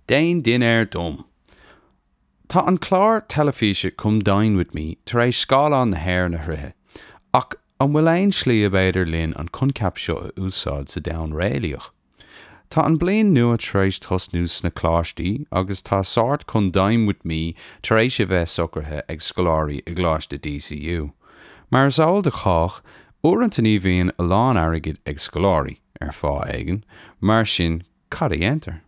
Déan dinnéar dom! Tá an clár teilifíse Come Dine With Me tar éis scáileán na hÉireann a shroicheadh, ach an bhfuil aon slí ab fhéidir linn an coincheap seo a úsáid sa domhan réalaíoch? Tá an bliain nua tar éis tosnú sna coláistí agus tá sórt Come Dine With Me tar éis a bheith socraithe ag scoláirí i gColáiste DCU. Mar is eol do chách, uaireanta ní bhíonn a lán airgid ag scoláirí, ar fáth éigin, mar sin cad a dhéantar?